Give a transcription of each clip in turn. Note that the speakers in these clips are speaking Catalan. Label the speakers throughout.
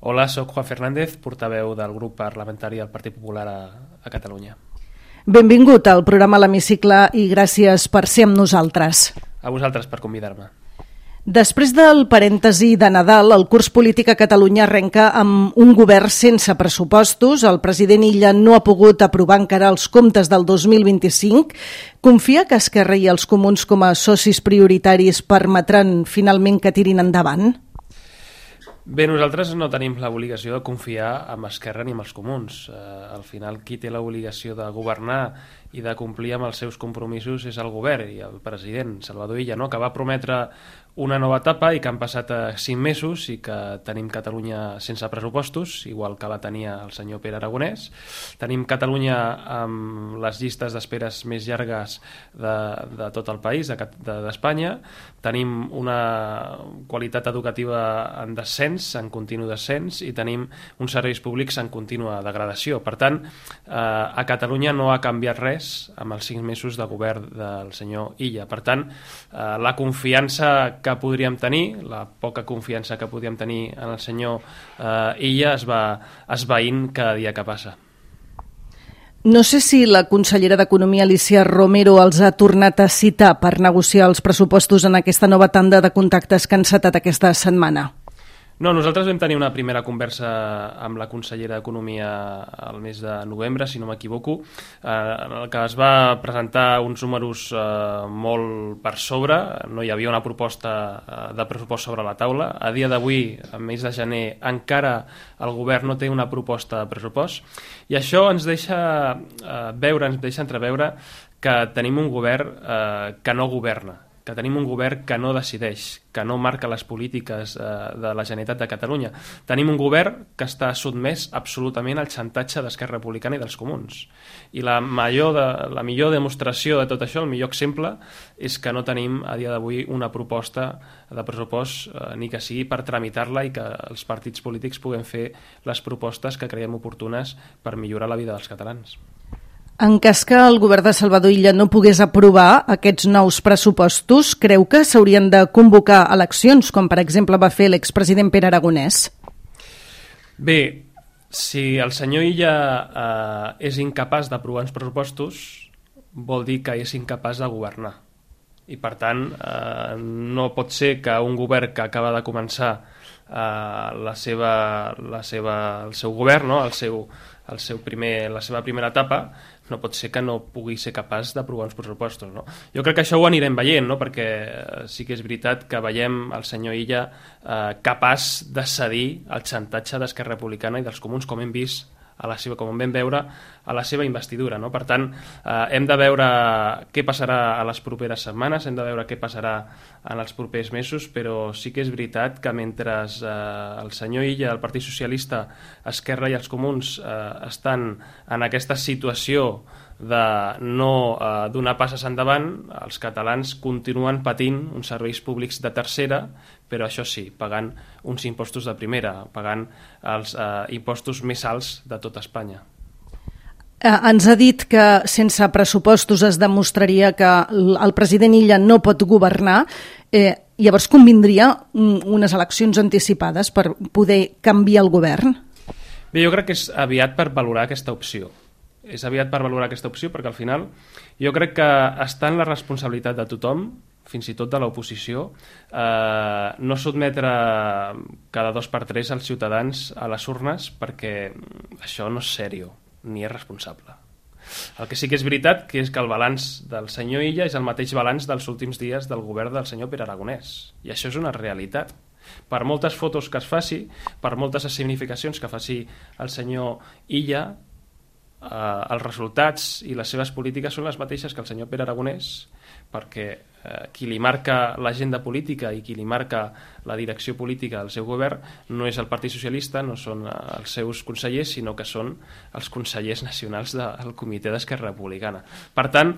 Speaker 1: Hola, soc Juan Fernández, portaveu del grup parlamentari del Partit Popular a Catalunya.
Speaker 2: Benvingut al programa L'Hemicicle i gràcies per ser amb nosaltres.
Speaker 1: A vosaltres per convidar-me.
Speaker 2: Després del parèntesi de Nadal, el curs polític a Catalunya arrenca amb un govern sense pressupostos. El president Illa no ha pogut aprovar encara els comptes del 2025. Confia que Esquerra i els Comuns com a socis prioritaris permetran finalment que tirin endavant?
Speaker 1: Bé, nosaltres no tenim l'obligació de confiar en Esquerra ni en els Comuns. Al final, qui té l'obligació de governar i de complir amb els seus compromisos és el govern i el president, Salvador Illa, no? Que va prometre una nova etapa i que han passat 5 mesos i que tenim Catalunya sense pressupostos, igual que la tenia el senyor Pere Aragonès. Tenim Catalunya amb les llistes d'esperes més llargues de tot el país, d'Espanya. Tenim una qualitat educativa en descens, en continu descens, i tenim uns serveis públics en contínua degradació. Per tant, a Catalunya no ha canviat res amb els 5 mesos de govern del senyor Illa. Per tant, la confiança que podríem tenir, la poca confiança que podríem tenir en el senyor Illa es va esvaint cada dia que passa.
Speaker 2: No sé si la consellera d'Economia, Alícia Romero, els ha tornat a citar per negociar els pressupostos en aquesta nova tanda de contactes que han encetat aquesta setmana.
Speaker 1: No, nosaltres vam tenir una primera conversa amb la consellera d'Economia al mes de novembre, si no m'equivoco, en el que es va presentar uns números molt per sobre. No hi havia una proposta de pressupost sobre la taula. A dia d'avui, al mes de gener, encara el govern no té una proposta de pressupost, i això ens deixa entreveure que tenim un govern que no governa, que tenim un govern que no decideix, que no marca les polítiques de la Generalitat de Catalunya. Tenim un govern que està sotmès absolutament al xantatge d'Esquerra Republicana i dels Comuns. I la millor demostració de tot això, el millor exemple, és que no tenim a dia d'avui una proposta de pressupost, ni que sigui per tramitar-la i que els partits polítics puguem fer les propostes que creiem oportunes per millorar la vida dels catalans.
Speaker 2: En cas que el govern de Salvador Illa no pogués aprovar aquests nous pressupostos, creu que s'haurien de convocar eleccions, com per exemple va fer l'expresident Pere Aragonès?
Speaker 1: Bé, si el senyor Illa és incapaç d'aprovar uns pressupostos, vol dir que és incapaç de governar. I per tant, no pot ser que un govern que acaba de començar el seu govern, no? la seva primera etapa, no pot ser que no pugui ser capaç d'aprovar uns pressupostos, no? Jo crec que això ho anirem veient, no? Perquè sí que és veritat que veiem el senyor Illa capaç de cedir al xantatge d'Esquerra Republicana i dels Comuns, com hem vist com vam veure a la seva investidura, no? Per tant, hem de veure què passarà a les properes setmanes, hem de veure què passarà en els propers mesos, però sí que és veritat que mentre el senyor Illa, el Partit Socialista, Esquerra i els Comuns estan en aquesta situació de no donar passes endavant, els catalans continuen patint uns serveis públics de tercera, però això sí, pagant uns impostos de primera, pagant els impostos més alts de tot Espanya.
Speaker 2: Ens ha dit que sense pressupostos es demostraria que el president Illa no pot governar. Llavors convindria unes eleccions anticipades per poder canviar el govern?
Speaker 1: Bé, jo crec que és aviat per valorar aquesta opció. És aviat per valorar aquesta opció perquè al final jo crec que està en la responsabilitat de tothom, fins i tot de l'oposició, no sotmetre cada 2x3 els ciutadans a les urnes, perquè això no és seriós ni és responsable. El que sí que és veritat que és que el balanç del senyor Illa és el mateix balanç dels últims dies del govern del senyor Pere Aragonès, i això és una realitat. Per moltes fotos que es faci, per moltes escenificacions que faci el senyor Illa, els resultats i les seves polítiques són les mateixes que el senyor Pere Aragonès, perquè qui li marca l'agenda política i qui li marca la direcció política del seu govern no és el Partit Socialista, no són els seus consellers, sinó que són els consellers nacionals del Comitè d'Esquerra Republicana. Per tant,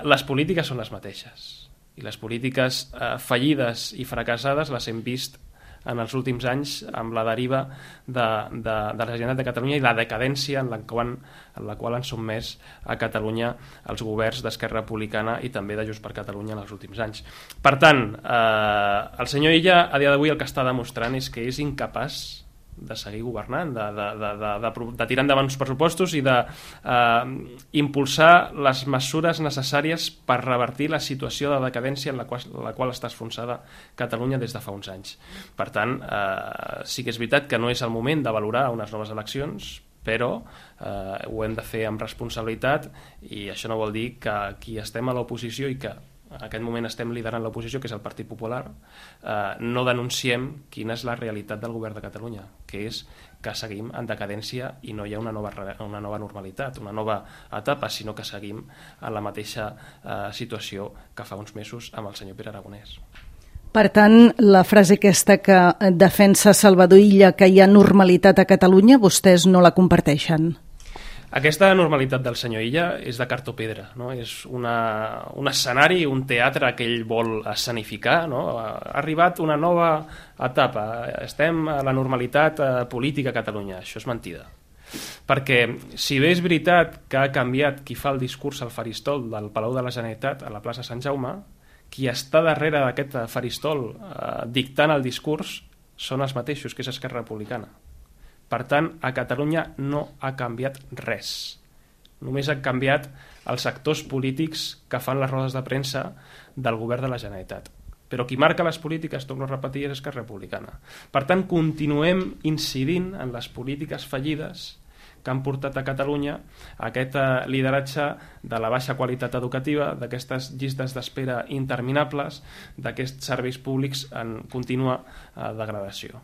Speaker 1: les polítiques són les mateixes, i les polítiques fallides i fracassades les hem vist en els últims anys amb la deriva de la Generalitat de Catalunya i la decadència en la qual han sotmès a Catalunya els governs d'Esquerra Republicana i també de Junts per Catalunya en els últims anys. Per tant, el senyor Illa a dia d'avui el que està demostrant és que és incapaç seguir governant, de tirar endavant els pressupostos i d'impulsar les mesures necessàries per revertir la situació de decadència en la qual està enfonsada Catalunya des de fa uns anys. Per tant, sí que és veritat que no és el moment de valorar unes noves eleccions, però ho hem de fer amb responsabilitat, i això no vol dir que qui estem a l'oposició i que en aquest moment estem liderant l'oposició, que és el Partit Popular, no denunciem quina és la realitat del govern de Catalunya, que és que seguim en decadència i no hi ha una nova normalitat, una nova etapa, sinó que seguim en la mateixa situació que fa uns mesos amb el senyor Pere Aragonès.
Speaker 2: Per tant, la frase aquesta que defensa Salvador Illa, que hi ha normalitat a Catalunya, vostès no la comparteixen?
Speaker 1: Aquesta normalitat del senyor Illa és de cartó pedra, no? És un escenari, un teatre que ell vol escenificar, no? Ha arribat una nova etapa, estem a la normalitat política a Catalunya. Això és mentida. Perquè si bé és veritat que ha canviat qui fa el discurs al faristol del Palau de la Generalitat a la plaça Sant Jaume, qui està darrere d'aquest faristol dictant el discurs són els mateixos, que és Esquerra Republicana. Per tant, a Catalunya no ha canviat res. Només han canviat els actors polítics que fan les rodes de premsa del govern de la Generalitat. Però qui marca les polítiques, torno a repetir, és Esquerra Republicana. Per tant, continuem incidint en les polítiques fallides que han portat a Catalunya aquest lideratge de la baixa qualitat educativa, d'aquestes llistes d'espera interminables, d'aquests serveis públics en contínua degradació.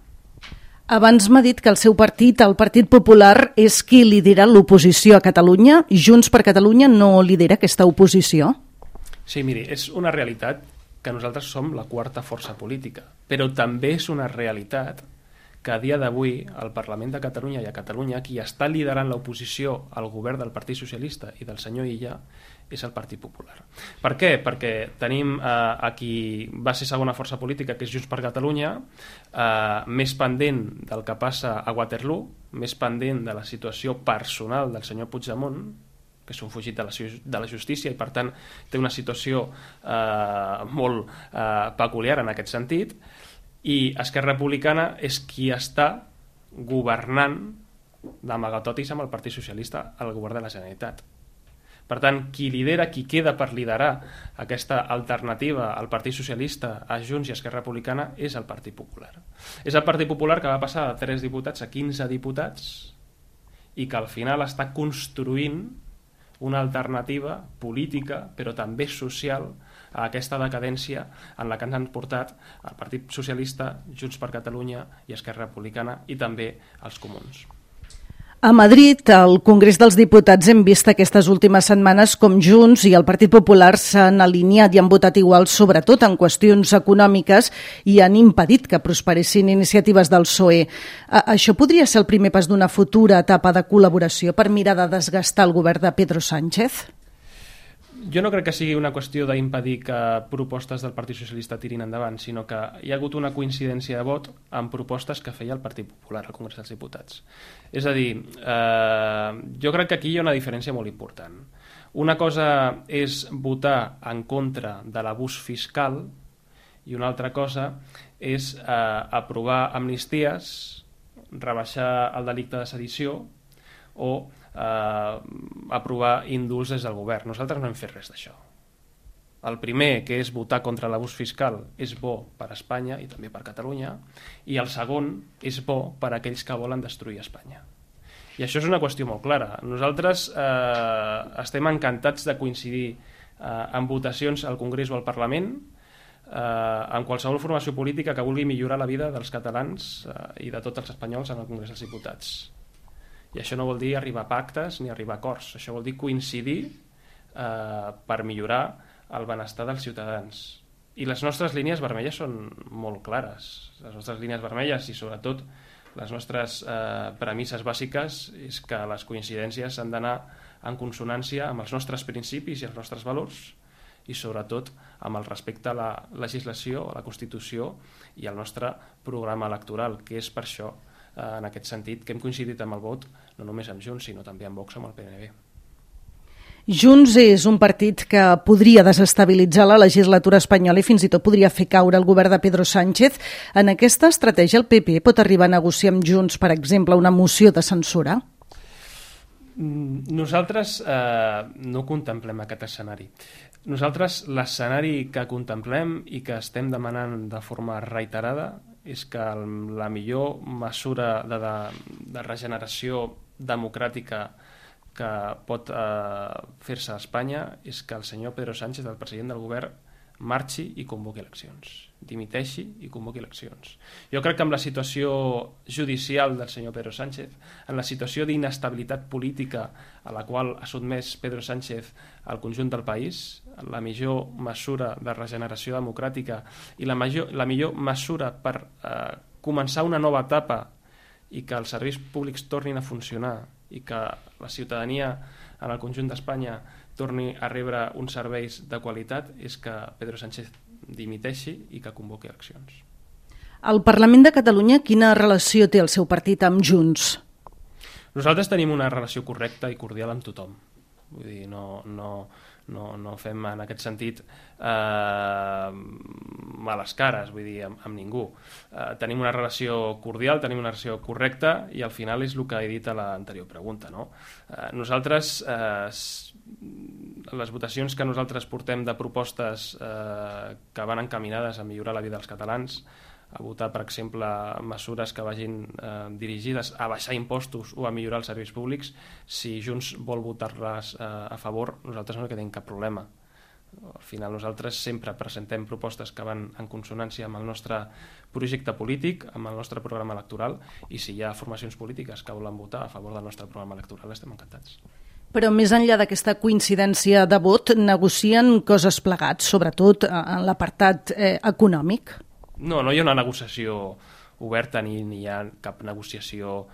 Speaker 2: Abans m'ha dit que el seu partit, el Partit Popular, és qui lidera l'oposició a Catalunya. Junts per Catalunya no lidera aquesta oposició?
Speaker 1: Sí, miri, és una realitat que nosaltres som la quarta força política, però també és una realitat que a dia d'avui al Parlament de Catalunya i a Catalunya qui està liderant l'oposició al govern del Partit Socialista i del senyor Illa és el Partit Popular. Per què? Perquè tenim a qui va ser segona força política, que és Junts per Catalunya, més pendent del que passa a Waterloo, més pendent de la situació personal del senyor Puigdemont, que és un fugit de la justícia i per tant té una situació molt peculiar en aquest sentit, i Esquerra Republicana és qui està governant d'amagatotis amb el Partit Socialista al govern de la Generalitat. Per tant, qui lidera, qui queda per liderar aquesta alternativa al Partit Socialista, a Junts i Esquerra Republicana és el Partit Popular. És el Partit Popular que va passar de 3 diputats a 15 diputats i que al final està construint una alternativa política, però també social, a aquesta decadència en la que ens han portat el Partit Socialista, Junts per Catalunya i Esquerra Republicana i també els comuns.
Speaker 2: A Madrid, al Congrés dels Diputats, hem vist aquestes últimes setmanes com Junts i el Partit Popular s'han alineat i han votat igual, sobretot en qüestions econòmiques, i han impedit que prosperessin iniciatives del PSOE. Això podria ser el primer pas d'una futura etapa de col·laboració per mirar de desgastar el govern de Pedro Sánchez?
Speaker 1: Jo no crec que sigui una qüestió d'impedir que propostes del Partit Socialista tirin endavant, sinó que hi ha hagut una coincidència de vot amb propostes que feia el Partit Popular al Congrés dels Diputats. És a dir, jo crec que aquí hi ha una diferència molt important. Una cosa és votar en contra de l'abús fiscal i una altra cosa és aprovar amnisties, rebaixar el delicte de sedició o aprovar indults des del govern. Nosaltres no hem fet res d'això. El primer, que és votar contra l'abús fiscal, és bo per a Espanya i també per Catalunya, i el segon és bo per a aquells que volen destruir Espanya. I això és una qüestió molt clara. Nosaltres estem encantats de coincidir en votacions al Congrés o al Parlament en qualsevol formació política que vulgui millorar la vida dels catalans i de tots els espanyols en el Congrés dels Diputats. I això no vol dir arribar a pactes ni arribar a acords, això vol dir coincidir per millorar el benestar dels ciutadans. I les nostres línies vermelles són molt clares. Les nostres línies vermelles i sobretot les nostres premisses bàsiques és que les coincidències han d'anar en consonància amb els nostres principis i els nostres valors i sobretot amb el respecte a la legislació, a la Constitució i al nostre programa electoral, que és per això en aquest sentit que hem coincidit amb el vot no només amb Junts sinó també amb Vox, amb el PNB.
Speaker 2: Junts és un partit que podria desestabilitzar la legislatura espanyola i fins i tot podria fer caure el govern de Pedro Sánchez. En aquesta estratègia el PP pot arribar a negociar amb Junts, per exemple, una moció de censura?
Speaker 1: Nosaltres no contemplem aquest escenari. Nosaltres l'escenari que contemplem i que estem demanant de forma reiterada és que la millor mesura de regeneració democràtica que pot fer-se a Espanya és que el senyor Pedro Sánchez, el president del govern, marxi i convoqui eleccions, dimiteixi i convoqui eleccions. Jo crec que amb la situació judicial del senyor Pedro Sánchez, en la situació d'inestabilitat política a la qual ha sotmès Pedro Sánchez al conjunt del país, la millor mesura de regeneració democràtica i la millor mesura per començar una nova etapa i que els serveis públics tornin a funcionar i que la ciutadania en el conjunt d'Espanya torni a rebre uns serveis de qualitat és que Pedro Sánchez dimiteixi i que convoqui eleccions.
Speaker 2: Al Parlament de Catalunya, quina relació té el seu partit amb Junts?
Speaker 1: Nosaltres tenim una relació correcta i cordial amb tothom. Vull dir, no fem en aquest sentit males cares, vull dir, amb ningú. Tenim una relació cordial, tenim una relació correcta i al final és el que he dit a l'anterior pregunta, no? Nosaltres, les votacions que nosaltres portem de propostes que van encaminades a millorar la vida dels catalans, a votar, per exemple, mesures que vagin dirigides a baixar impostos o a millorar els serveis públics, si Junts vol votar-les a favor, nosaltres no tenim cap problema. Al final nosaltres sempre presentem propostes que van en consonància amb el nostre projecte polític, amb el nostre programa electoral, i si hi ha formacions polítiques que volen votar a favor del nostre programa electoral, estem encantats.
Speaker 2: Però més enllà d'aquesta coincidència de vot, negocien coses plegats, sobretot en l'apartat econòmic?
Speaker 1: No hi ha una negociació oberta ni hi ha cap negociació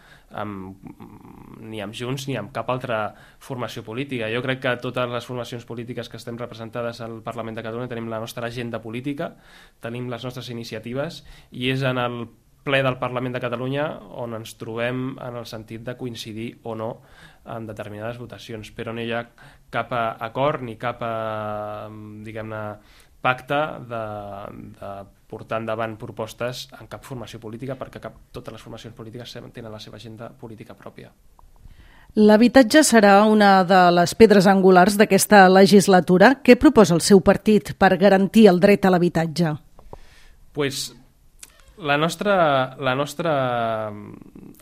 Speaker 1: ni amb Junts ni amb cap altra formació política. Jo crec que totes les formacions polítiques que estem representades al Parlament de Catalunya tenim la nostra agenda política, tenim les nostres iniciatives i és en el ple del Parlament de Catalunya on ens trobem en el sentit de coincidir o no en determinades votacions, però no hi ha cap acord ni cap, diguem-ne, pacte de portar endavant propostes en cap formació política perquè totes les formacions polítiques tenen la seva agenda política pròpia.
Speaker 2: L'habitatge serà una de les pedres angulars d'aquesta legislatura. Què proposa el seu partit per garantir el dret a l'habitatge?
Speaker 1: Pues la nostra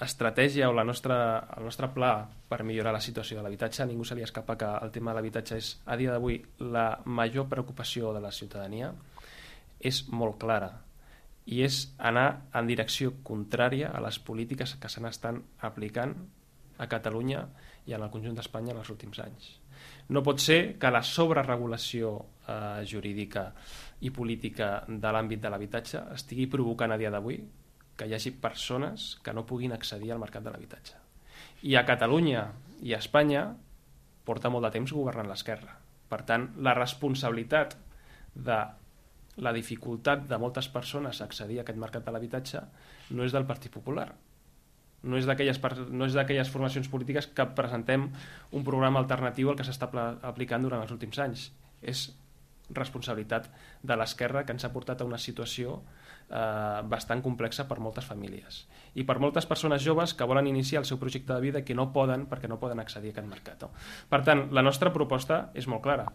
Speaker 1: estratègia o el nostre pla per millorar la situació de l'habitatge, a ningú se li escapa que el tema de l'habitatge és, a dia d'avui, la major preocupació de la ciutadania, és molt clara i és anar en direcció contrària a les polítiques que se n'estan aplicant a Catalunya i en el conjunt d'Espanya en els últims anys. No pot ser que la sobreregulació jurídica i política de l'àmbit de l'habitatge estigui provocant a dia d'avui que hi hagi persones que no puguin accedir al mercat de l'habitatge. I a Catalunya i a Espanya porta molt de temps governant l'esquerra. Per tant, la responsabilitat de la dificultat de moltes persones a accedir a aquest mercat de l'habitatge no és del Partit Popular. No és d'aquelles formacions polítiques que presentem un programa alternatiu al que s'està aplicant durant els últims anys. És responsabilitat de l'esquerra que ens ha portat a una situació bastant complexa per moltes famílies i per moltes persones joves que volen iniciar el seu projecte de vida que no poden perquè no poden accedir a aquest mercat. Per tant, la nostra proposta és molt clara.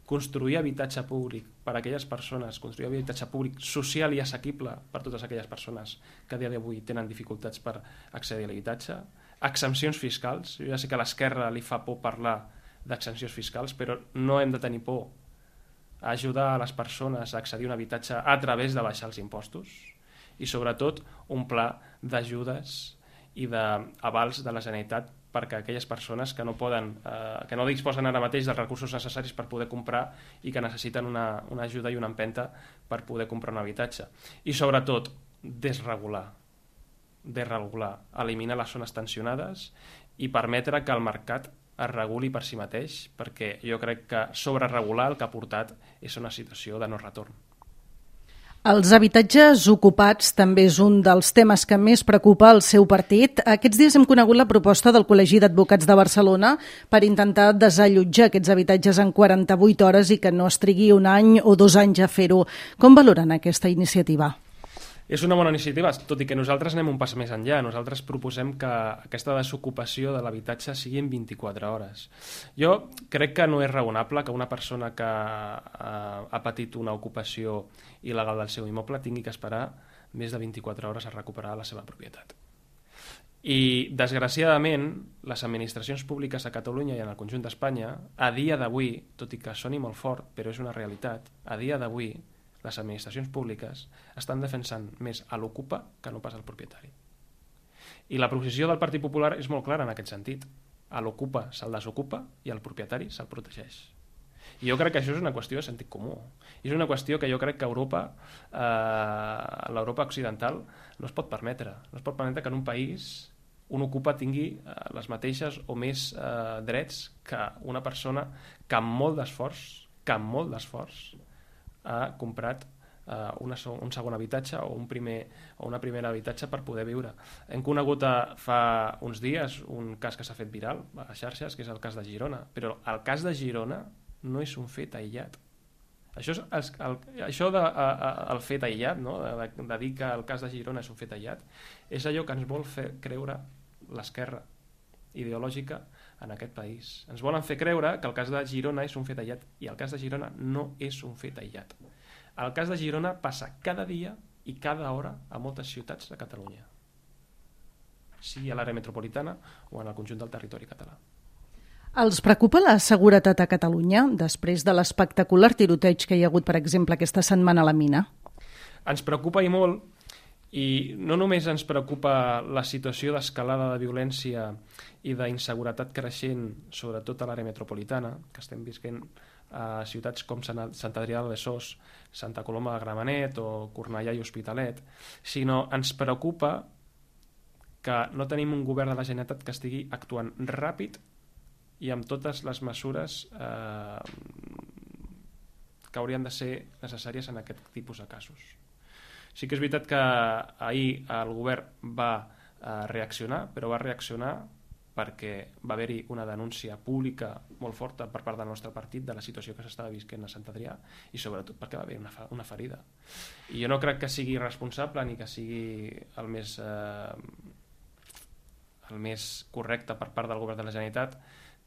Speaker 1: Construir habitatge públic per a aquelles persones, construir habitatge públic social i assequible per a totes aquelles persones que a dia d'avui tenen dificultats per accedir a l'habitatge, exempcions fiscals. Jo ja sé que a l'esquerra li fa por parlar d'exempcions fiscals, però no hem de tenir por a ajudar a les persones a accedir a un habitatge a través de baixar els impostos i sobretot un pla d'ajudes i d'avals de la Generalitat perquè aquelles persones que no disposen ara mateix dels recursos necessaris per poder comprar i que necessiten una ajuda i una empenta per poder comprar un habitatge. I sobretot, desregular, eliminar les zones tensionades i permetre que el mercat es reguli per si mateix, perquè jo crec que sobreregular el que ha portat és una situació de no retorn.
Speaker 2: Els habitatges ocupats també és un dels temes que més preocupa el seu partit. Aquests dies hem conegut la proposta del Col·legi d'Advocats de Barcelona per intentar desallotjar aquests habitatges en 48 hores i que no es trigui un any o 2 anys a fer-ho. Com valoren aquesta iniciativa?
Speaker 1: És una bona iniciativa, tot i que nosaltres anem un pas més enllà. Nosaltres proposem que aquesta desocupació de l'habitatge sigui en 24 hores. Jo crec que no és raonable que una persona que ha patit una ocupació il·legal del seu immoble tingui que esperar més de 24 hores a recuperar la seva propietat. I, desgraciadament, les administracions públiques a Catalunya i en el conjunt d'Espanya, a dia d'avui, tot i que soni molt fort, però és una realitat, a dia d'avui, les administracions públiques estan defensant més a l'ocupa que no pas al propietari. I la posició del Partit Popular és molt clara en aquest sentit. A l'ocupa se'l desocupa i al propietari se'l protegeix. I jo crec que això és una qüestió de sentit comú. I és una qüestió que jo crec que Europa, l'Europa occidental, no es pot permetre. No es pot permetre que en un país un ocupa tingui les mateixes o més drets que una persona que amb molt d'esforç, ha comprat un segon habitatge o una primera habitatge per poder viure. Hem conegut fa uns dies un cas que s'ha fet viral a les xarxes, que és el cas de Girona, però el cas de Girona no és un fet aïllat. Això del fet aïllat, no? de dir que el cas de Girona és un fet aïllat, és allò que ens vol fer creure l'esquerra ideològica en aquest país. Ens volen fer creure que el cas de Girona és un fet aïllat, i el cas de Girona no és un fet aïllat. El cas de Girona passa cada dia i cada hora a moltes ciutats de Catalunya, sigui a l'àrea metropolitana o en el conjunt del territori català.
Speaker 2: Els preocupa la seguretat a Catalunya després de l'espectacular tiroteig que hi ha hagut, per exemple, aquesta setmana a la mina?
Speaker 1: Ens preocupa i molt. I no només ens preocupa la situació d'escalada de violència i d'inseguretat creixent, sobretot a l'àrea metropolitana, que estem visquent a ciutats com Sant Adrià de Besòs, Santa Coloma de Gramenet o Cornellà i Hospitalet, sinó ens preocupa que no tenim un govern de la Generalitat que estigui actuant ràpid i amb totes les mesures que haurien de ser necessàries en aquest tipus de casos. Sí que és veritat que ahir el govern va reaccionar, però va reaccionar perquè va haver-hi una denúncia pública molt forta per part del nostre partit de la situació que s'estava visquent a Sant Adrià, i sobretot perquè va haver una ferida. I jo no crec que sigui responsable ni que sigui el més correcte per part del govern de la Generalitat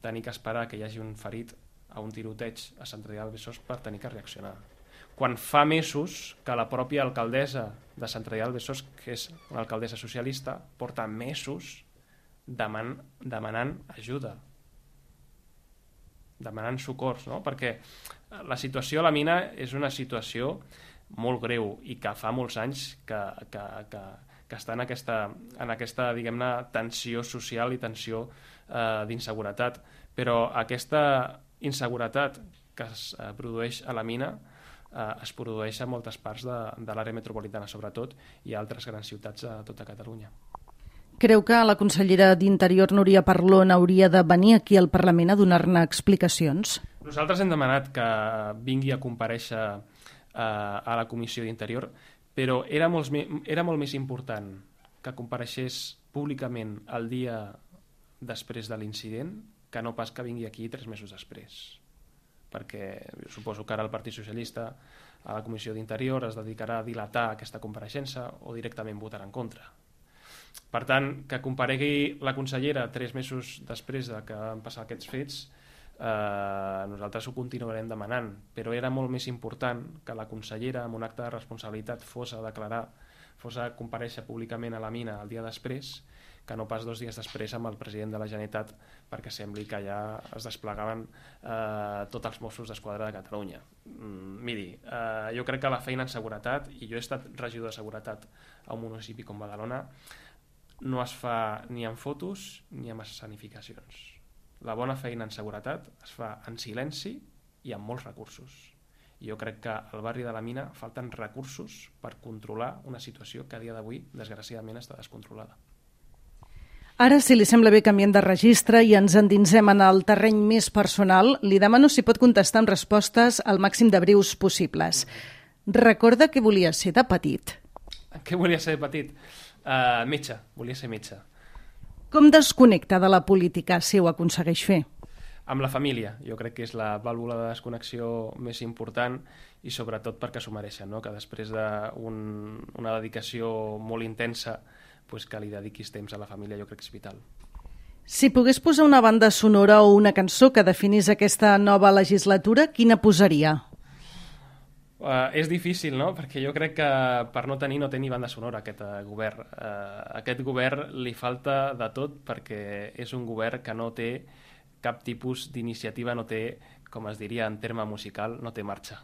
Speaker 1: tenir que esperar que hi hagi un ferit a un tiroteig a Sant Adrià de Besòs per tenir que reaccionar. Quan fa mesos que la pròpia alcaldessa de Sant Adrià de Besòs, que és una alcaldessa socialista, porta mesos demanant ajuda, demanant socors, no? Perquè la situació a la mina és una situació molt greu i que fa molts anys que està en aquesta diguem-ne, tensió social i tensió d'inseguretat. Però aquesta inseguretat que es produeix a la mina es produeix a moltes parts de l'àrea metropolitana, sobretot, i a altres grans ciutats a tota Catalunya.
Speaker 2: Creu que la consellera d'Interior, Núria Parlon, hauria de venir aquí al Parlament a donar-ne explicacions?
Speaker 1: Nosaltres hem demanat que vingui a comparèixer a la Comissió d'Interior, però era molt més important que compareixés públicament el dia després de l'incident que no pas que vingui aquí 3 mesos després. Perquè suposo que ara el Partit Socialista a la Comissió d'Interior es dedicarà a dilatar aquesta compareixença o directament votarà en contra. Per tant, que comparegui la consellera 3 mesos després de que van passar aquests fets, nosaltres ho continuarem demanant, però era molt més important que la consellera, amb un acte de responsabilitat, fos a comparèixer públicament a la mina el dia després, que no pas 2 dies després amb el president de la Generalitat, perquè sembli que ja es desplegaven tots els Mossos d'Esquadra de Catalunya. Miri, jo crec que la feina en seguretat, i jo he estat regidor de seguretat a un municipi com Badalona, no es fa ni amb fotos ni amb escenificacions. La bona feina en seguretat es fa en silenci i amb molts recursos. I jo crec que al barri de la Mina falten recursos per controlar una situació que a dia d'avui, desgraciadament, està descontrolada.
Speaker 2: Ara, si li sembla bé, canviem de registre i ens endinsem en el terreny més personal. Li demano si pot contestar amb respostes al màxim de breus possibles. Recorda què volia ser de petit.
Speaker 1: Què volia ser de petit? Metge, volia ser metge.
Speaker 2: Com desconnecta de la política si ho aconsegueix fer?
Speaker 1: Amb la família, jo crec que és la vàlvula de desconnexió més important i sobretot perquè s'ho mereixen, no? Que després d'una dedicació molt intensa pues que li dediquis temps a la família jo crec que és vital.
Speaker 2: Si pogués posar una banda sonora o una cançó que definís aquesta nova legislatura, quina posaria?
Speaker 1: És difícil, no? Perquè jo crec que per no tenir no té ni banda sonora aquest govern. Aquest govern li falta de tot perquè és un govern que no té cap tipus d'iniciativa, no té, com es diria en terme musical, no té marxa.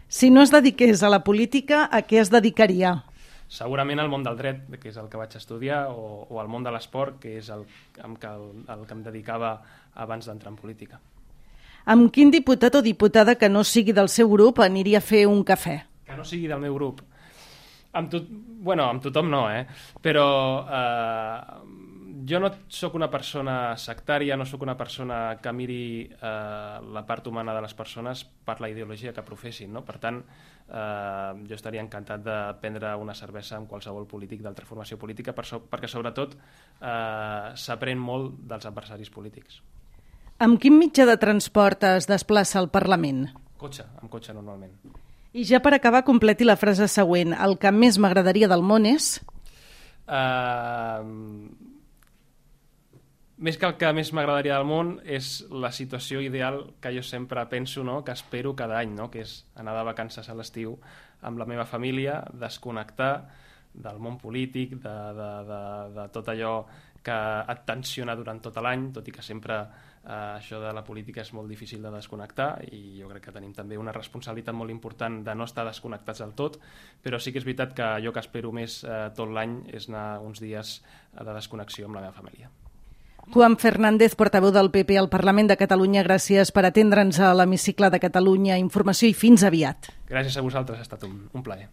Speaker 2: Si no es dediqués a la política, a què es dedicaria?
Speaker 1: Segurament al món del dret, que és el que vaig estudiar, o al món de l'esport, que és el que em dedicava abans d'entrar en política.
Speaker 2: Amb quin diputat o diputada que no sigui del seu grup aniria a fer un cafè?
Speaker 1: Que no sigui del meu grup? Amb tothom no, però jo no sóc una persona sectària, no sóc una persona que miri la part humana de les persones per la ideologia que professin, no? Per tant, jo estaria encantat de prendre una cervesa amb qualsevol polític d'altra formació política perquè sobretot s'aprèn molt dels adversaris polítics.
Speaker 2: Amb quin mitjà de transport es desplaça al Parlament?
Speaker 1: Amb cotxe normalment.
Speaker 2: I ja per acabar, completi la frase següent. El que més m'agradaria del món és...
Speaker 1: Més que el que més m'agradaria del món és la situació ideal que jo sempre penso, no? Que espero cada any, no? Que és anar de vacances a l'estiu amb la meva família, desconnectar del món polític, de tot allò que et tensiona durant tot l'any, tot i que sempre això de la política és molt difícil de desconnectar i jo crec que tenim també una responsabilitat molt important de no estar desconnectats del tot, però sí que és veritat que jo que espero més tot l'any és anar uns dies de desconnexió amb la meva família.
Speaker 2: Juan Fernández, portaveu del PP al Parlament de Catalunya, gràcies per atendre'ns a l'Hemicicle de Catalunya. Informació i fins aviat.
Speaker 1: Gràcies a vosaltres, ha estat un plaer.